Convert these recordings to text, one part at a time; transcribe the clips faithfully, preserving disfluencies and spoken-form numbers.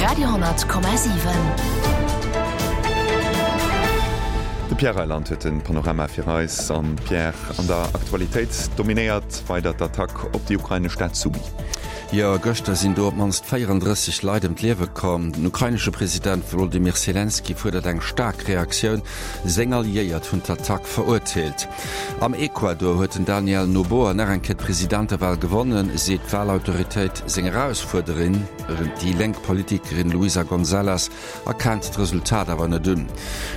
Radio honnert Komma siwen. De Pierre Reyland huet de Panorama fir eis. An Pierre, an der Aktualitéit dominéiert weider d'Attack op déi ukrainesch Stad Sumy. Jo, gëschter sinn do op d'mannst véierandrësseg Leit ëm d'Liewe komm. Den ukrainesche President Wolodymyr Selenskyj fuerdert eng staark Reaktioun. Seng Alliéiert hunn d'Attack verurteelt. Am Ecuador huet den Daniel Noboa nach eng Kéier d'Presidentewal gewonnen, seet d'Walautoritéit. Seng Erausfuerderin, déi lénk Politikerin Luisa González, erkennt d'Resultat awer net un.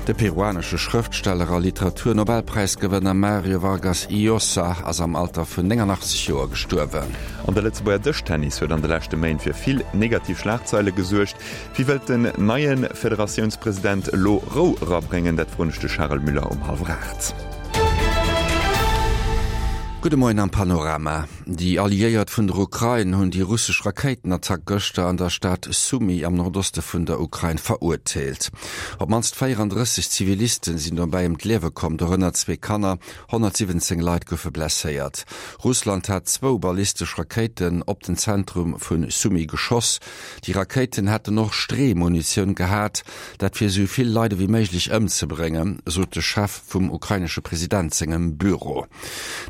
De peruanesche Schrëftsteller a Literatur-Nobelpräisgewënner Mario Vargas Llosa ass am Alter vun néngannachtzeg Joer gestuerwen. An de Lëtzebuerger Dëschtennis huet an de leschte Méint fir vill negativ Schlagzeile gesuergt. Wéi wëllt den neie Federatiounspresident elo Rou erabréngen? Dat froen ech de Charel Müller um hallwer aacht. Gudde Moien am Panorama. Déi Alliéiert vun der Ukrain hunn déi russesch Rakéitenattack gëschter an der Stad Sumy am Nordoste vun der Ukrain verurteelt. Op d'mannst véierandrësseg Zivilisten sinn dobäi ëm d'Liewe komm, dorënner zwee Kanner. honnertsiwwenzéng Leit goufe blesséiert. Russland hat zwou ballistesch Rakéiten op den Zentrum vu Sumy geschoss. Déi Rakéiten hätten och Streemunitioun gehat, dat fir esou vill Leit ewéi méiglech ëmzebréngen, sot de Chef vum ukrainesche President sengem Büro.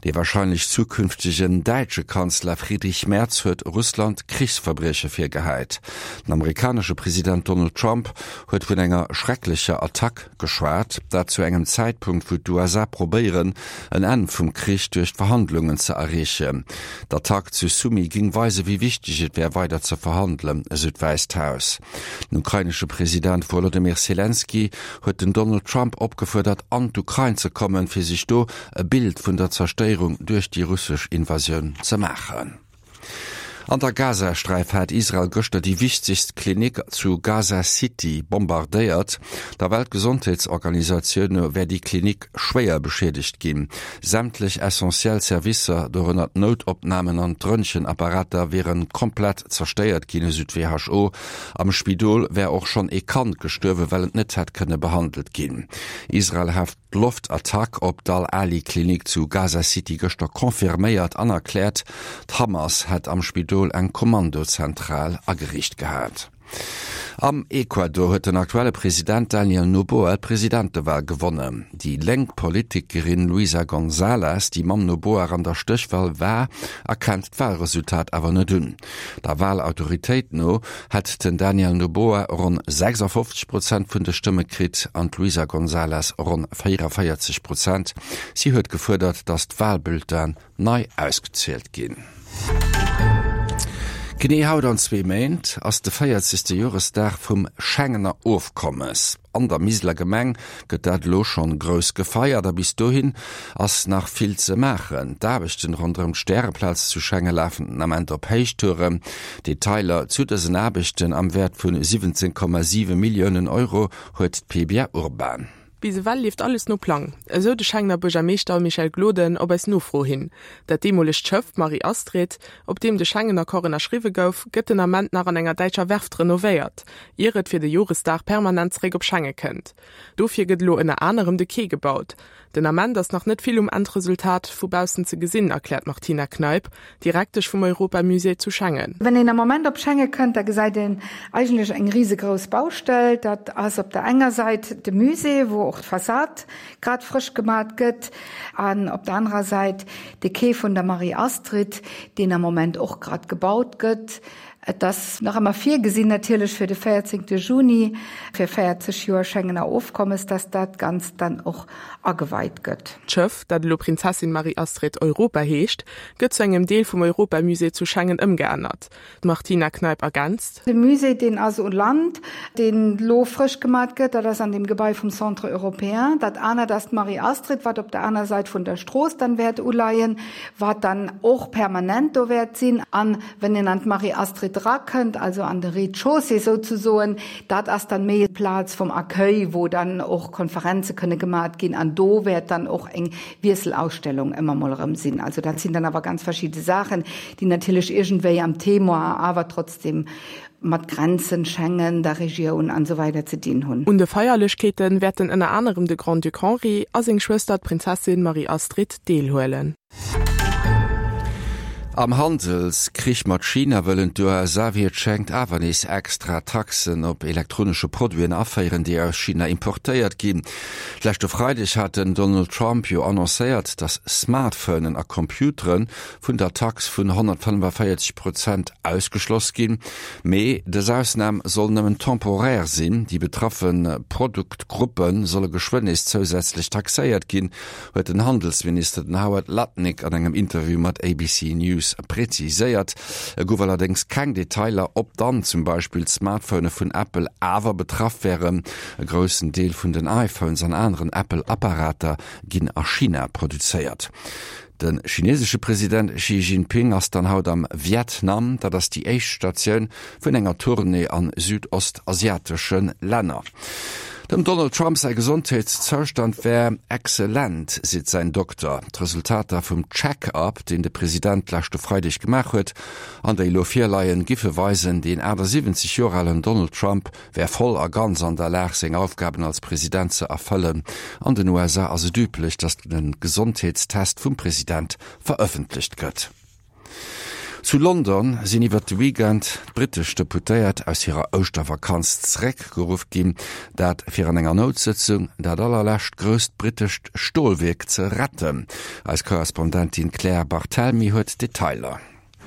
Dee warscheinlech zukünftegen däitsche Kanzler Friedrich Merz huet Russland Krichsverbrieche virgehäit. Den amerikanesche President Donald Trump huet vun enger schrecklecher Attack geschwat, dat zu engem Zäitpunkt, wou d'USA probéieren, en Enn vum Krich duerch Verhandlungen ze erreechen. D'Attack zu Sumy géing weisen, wéi wichteg et wär, weider ze verhandelen, esou d'Wäisst Haus. Den ukrainesche President Wolodymyr Selenskyj huet den Donald Trump opgefuerdert, an d'Ukrain ze kommen, fir sech do e Bild vun der Zerstéierung duerch déi russesch Invasioun ze maachen. An der Gazasträif hat Israel gëschter déi wichtegst Klinik zu Gaza City bombardéiert. Der Weltgesondheetsorganisatioun no wär déi Klinik schwéier beschiedegt ginn. Sämtlech essentiell Servicer, dorënner d'Noutopnamen an d'Röntgenapparater, wiere komplett zerstéiert ginn, esou d'WHO. Am Spidol wär och schonn ee Kand gestuerwen, well et net hätt kënne behandelt ginn. Israel hat d'Loftattack op d'Al-Ahli-Klinik zu Gaza City gëschter confirméiert an erkläert, d'Hamas hätt am Spidol eng Kommandozentral ageriicht gehat. Am Ecuador huet den aktuelle President Daniel Noboa d'Presidentewal gewonnen. Déi lénk Politikerin Luisa González, déi mam Noboa an der Stéchwal war, erkennt d'Walresultat awer net un. Der Walautoritéit no hätt den Daniel Noboa ronn sechsafofzeg Prozent vun de Stëmme kritt an d'Luisa González ronn véieranvéierzeg Prozent. Si huet gefuerdert, datt d'Walbulletinen nei ausgezielt ginn. Genee haut an zwee Méint ass de véierzegste Joresdag vum Schengener Ofkommes. An der Miseler Gemeng gëtt dat elo schonn grouss gefeiert a bis dohin ass nach vill ze maachen. D'Aarbechten ronderëm d'Stäreplaz zu Schengen lafen den Ament op Héichtouren. Detailer zu dësen Aarbechten am Wäert vun siwwenzéng Komma siwe Milliounen Euro huet d'Pebia Urban. Bis ewell leeft alles no Plang, esou de Schengener Buergermeeschter Michel Gloden op eis Nofro hin. Dat deemolegt Schëff Marie-Astrid, op deem de Schengen-Accord ënnerschriwwe gouf, gëtt den Ament nach an enger däitscher Werft renovéiert, ier et fir de Joresdag permanent zeréck op Schenge kënnt. Dofir gëtt elo ënner anerem de Quai gebaut. Den Ament ass nach net vill um Endresultat vu baussen ze gesinn, erkläert d'Martina Kneip, Direktesch vum Europamusée zu Schengen. Wann een am Moment op Schenge kënnt, da gesäit een eigentlech eng risegrouss Baustell. Dat ass op der enger Säit de Musée, wou och d'Fassad grad frësch gemat gëtt, an op der anerer Säit de Quai vun der Marie-Astrid, deen am Moment och grad gebaut gëtt. Et ass nach ëmmer virgesinn natierlech fir de véierzéngte Juni, fir véierzeg Joer Schengener Ofkommes, dass dat Ganzt dann och ageweit gëtt. D'Schëff, dat elo Prinzessin Marie-Astrid Europa heescht, gëtt zu engem Deel vum Europamusée zu Schengen ëmgeännert. D'Martina Kneip ergänzt. De Musée, deen ass u Land, deen elo frësch gemat gëtt, dat ass an deem Gebai vum Centre Européen. Dat anert ass d'Marie-Astrid, wat op der aner Säit vun der Strooss dann wäert uleien, wat dann och permanent do wäert sinn. An wenn een an d'Marie-Astrid drakënnt, also an de Rez-de-chaussée souzesoen, dat ass dann méi d'Plaz vum Accueil, wou dann och Konferenze kënne gemat ginn an do wäert dann och eng Wiesselausstellung ëmmer mol erëm sinn. Also dat sinn dann awer ganz verschidde Saachen, déi natierlech iergendwéi am Thema awer trotzdem mat Grenzen, Schengen, der Regioun an esou weider ze dinn hunn. Un de Feierlechkeete wäerten ënner anerem de Grand-Duc Henri a seng Schwëster d'Prinzessin Marie-Astrid deelhuelen. Am Handelskrich mat China wëllen d'USA wéi et schéngt awer nees extra Taxen op elektronesche Produiten aféieren, déi aus China importéiert ginn. Leschte Freideg hat den Donald Trump jo annoncéiert, datt Smartphonen a Computere vun der Tax vun honnertfënnefenvéierzeg Prozent ausgeschloss ginn. Mee dës Ausnam soll nëmmen temporär sinn, déi betraffe Produktgruppe solle geschwënn nees zousätzlech taxéiert ginn, huet den Handelsminister den Howard Lutnick an engem Interview mat A B C News präziséiert. Et gouf allerdéngs keng Detailer, ob dann zum Beispill d'Smartphone vun Apple awer betraff wären. E groussen Deel vun den iPhones an aneren Apple-Apparater ginn a China produzéiert. De chinesesche President Xi Jinping ass dann haut am Vietnam, dat ass déi éischt Statioun vun enger Tournée an südostasiatesche Länner. Dem Donald Trump säi Gesondheetszoustand wär exzellent, seet säin Dokter. D'Resultater vum Check-up, deen de President leschte Freideg gemaach huet, an déi elo virleien, giffe weisen, den achtesiwwenzeg Joer alen Donald Trump wär voll a ganz an der Lag, seng Aufgaben als President ze erfëllen. An den U S A ass et üblech, datt de Gesondheetstest vum President verëffentlecht gëtt. Zu London sinn iwwer de Weekend d'brittesch Deputéiert aus hirer Ouschtervakanz zeréckgeruff ginn, dat fir an enger Noutsëtzung dat allerlescht grousst brittescht Stolwierk ze retten. Eis Korrespondentin Claire Barthelmy huet Detailer.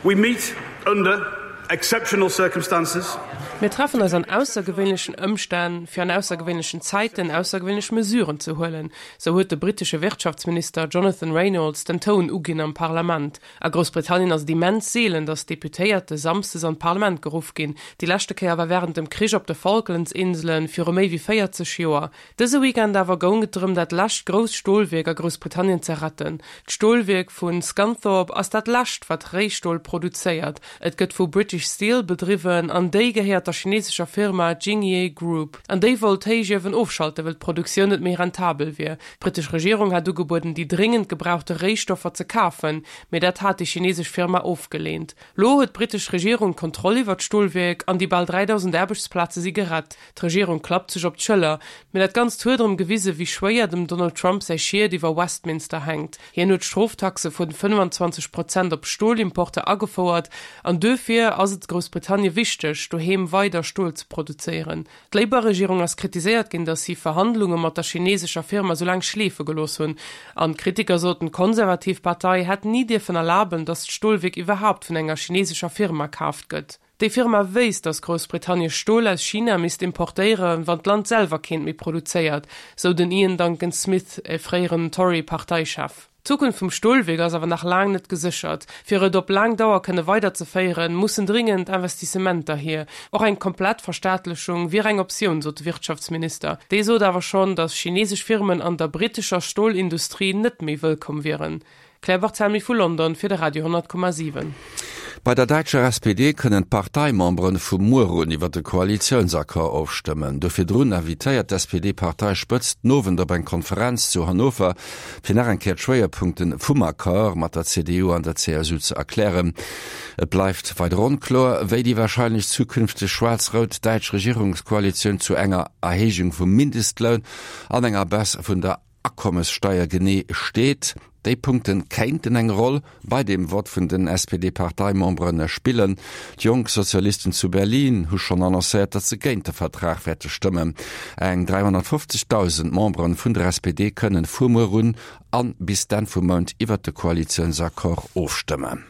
We meet under exceptional circumstances. Mir treffen eis an aussergewéinlechen Ëmstänn, fir an aussergewéinlechen Zäiten aussergewéinlech Mesuren ze huelen, sou huet de brittesche Wirtschaftsminister Jonathan Reynolds den Toun uginn am Parlament. A Groussbritannien ass et immens seelen, datt Deputéierte samsdes an d'Parlament geruff ginn. Déi leschte Kéier war wärend dem Krich op de Falklandsinselen viru méi wéi véierzeg Joer. Dëse Weekend awer goung et drëm, dat lescht grousst Stolwierk a Groussbritannien ze retten. D'Stolwierk vu Scunthorpe ass dat lescht, wat Réistol produzéiert. Et gëtt vu British Steel bedriwwen an déi gehéiert der chinesescher Firma Jingye Group. An déi wollt d'Héichiewen ofschalte well d'Produktioun net méi rentabel wier. D'brittesch Regierung hat ugebueden, déi dringend gebrauchte Réistoffer ze kafen, mee dat hat déi chinesesch Firma ofgeleent. Lo huet d'brittesch Regierung d'Kontroll iwwer d'Stolwierk an déi bal dräidausend Aarbechtsplaze si gerett. D'Regierung klappt sech op d'Schëller, mee dat Ganzt huet erëm gewise wéi schwéier dem Donald Trump säi Schied iwwer Westminster hänkt. Hien huet Stroftaxe vun fënnefenzwanzeg Prozent op Stolimporter agefouert an duerfir ass et Groussbritannien wichteg, doheem weider Stol ze produzéieren. D'Labour-Regierung ass kritiséiert ginn, datt si Verhandlunge mat der chinesescher Firma sou laang schleefe gelooss hunn. An d'Kritiker soten, d'konservativ Partei hätt ni dierfen erlaben, datt d'Stolwierk iwwerhaapt vun enger chinesescher Firma kaaft gëtt. Déi Firma wéisst, datt Groussbritannien Stol aus China misst importéieren, wann d'Land selwer keent méi produzéiert, sou den Iain Duncan Smith, e fréieren Tory-Parteichef. D'Zukunft vum Stolwierk ass awer nach laang net geséchert. Fir et op laang Dauer kënne weiderzeféieren, mussen dringend Investissementer hier. Och eng komplett Verstaatlechung wier eng Optioun, sot de Wirtschaftsminister. Dee sot awer schonn, datt chinesesch Firmen an der brittescher Stolindustrie net méi wëllkomm wieren. Claire Barthelmy vu London fir de Radio honnert Komma siwen. Bei der däitscher S P D kënnen d'Parteimemberen vu muer un iwwer de Koalitiounsaccord ofstëmmen. Do virdrun invitéiert d'S P D-Parteispëtzt den Owend op eng Konferenz zu Hannover, fir nach eng Kéier d'Schwéierpunkte vum Accord mat der C D U an der C S U ze erklären. Et bleift weider onkloer, wéi déi warscheinlech zukünfteg schwaarz-rout däitsch Regierungskoalitioun zu enger Erhéijung vum Mindestloun an enger Baisse vun der Akommessteier genee steet. Déi Punkte kéinten eng Roll bei dem Vott vun den S P D-Parteimembere spillen. D'Jonk Sozialisten zu Berlin hu schonn annoncéiert, datt se géint de Vertrag wäerte stëmmen. Eng dräihonnertfofzegdausend Membere vun der S P D kënnen vu muer un a bis d'Enn vum Mount iwwer de Koalitiounsaccord ofstëmmen.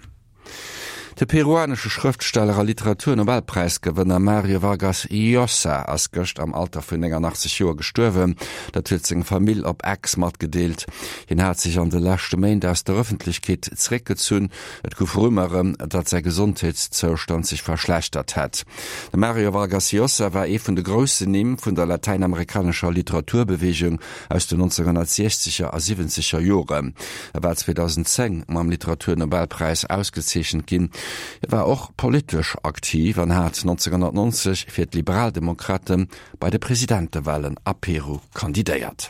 De peruanesche Schrëftsteller a Literaturnobelpräisgewënner Mario Vargas Llosa ass gëscht am Alter vun nénganaachtzeg Joer gestuerwen. Dat huet seng Famill op X matgedeelt. Hien hat sech an de leschte Méint aus der Ëffentlechkeet zeréckgezunn. Et gouf Rumeuren, datt säi Gesondheetszoustand sech verschlechtert hätt. De Mario Vargas Llosa war ee vun de groussen Nimm vun der latäinamerikanescher Literaturbeweegung aus den nonzénghonnertsiechzeger a siwwenzeger Joren. E war zweedausendzéng mam Literaturnobelpräis ausgezeechent ginn. Hie war och politesch aktiv an hat nonzénghonnertnonzeg fir d'Liberaldemokrate bei de Presidentewalen a Peru kandidéiert.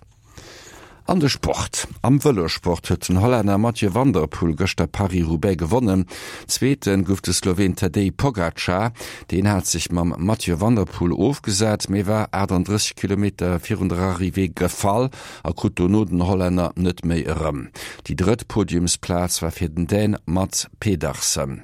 An de Sport. Am Vëlossport huet den Hollänner Mathieu van der Poel gëschter Paris-Roubaix gewonnen. Zweete gouf de Sloween Tadej Pogacar. Deen hat sech mam Mathieu van der Poel ofgesat, mee war achtunddrësseg Kilometer virun der Arrivée gefall a krut dono den Hollänner net méi erëm. Déi drëtt Podiumsplaz war fir den Dän Mads Pedersen.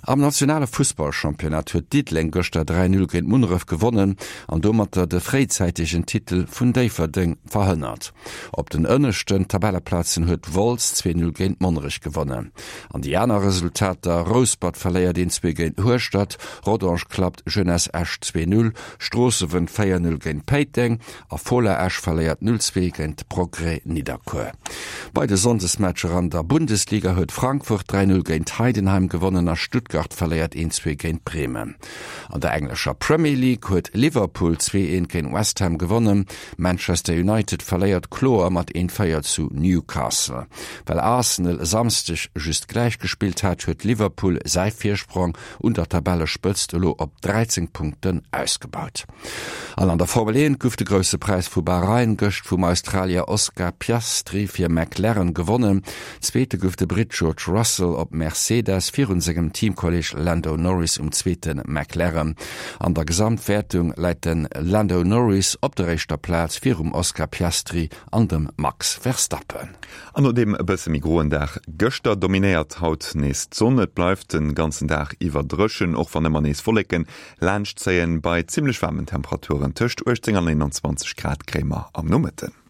Am nationale Fussballchampionnat huet Diddeleng gëschter dräi Null géint Munneref gewonnen an domatter de fréizäitegen Titel vun Déifferdeng verhënnert. Op den ënneschten Tabelleplazen huet Wolz zwee Null géint Monnerech gewonnen. An déi aner Resultater, Rouspert verléiert een zwee géint Hueschtert, Rodange klappt Jeunesse Esch zwee Null, Stroosse wënnt véier Null géint Péiteng a Fola Esch verléiert null zwee géint Progrès Nidderkuer. Bei de Sonndesmatcher an der Bundesliga huet Frankfurt dräi Null géint Heidenheim gewonnen a Stuttgart verléiert een zwee géint Bremen. An der englescher Premier League huet Liverpool zwee eent géint West Ham gewonnen. Manchester United verléiert kloer mat een véier zu Newcastle. Well Arsenal e Samsdeg just gläich gespillt hat, huet Liverpool säi Virsprong un der Tabellespëtzt elo op dräizéng Punkten ausgebaut. An an der Formel eent gouf de Grousse Präis vu Bahrain gëscht vum Australier Oscar Piastri fir McLaren gewonnen. Zweete gouf de Britt George Russell op Mercedes virun sengem Teamkolleeg Lando Norris um zweete McLaren. An der Gesamtwäertung läit de Lando Norris op der éischter Plaz virum Oscar Piastri an dem Max Verstappen. An no deem e bësse méi groen Dag gëschter dominéiert haut nees d'Sonn. Et bleift de ganzen Dag iwwer dréchen, och wann ëmmer nees Wolleken laanscht zéien. Bei zimmlech waarmen Temperaturen tëscht uechtzéng an eenanzwanzeg Grad kréie mer am Nomëtten.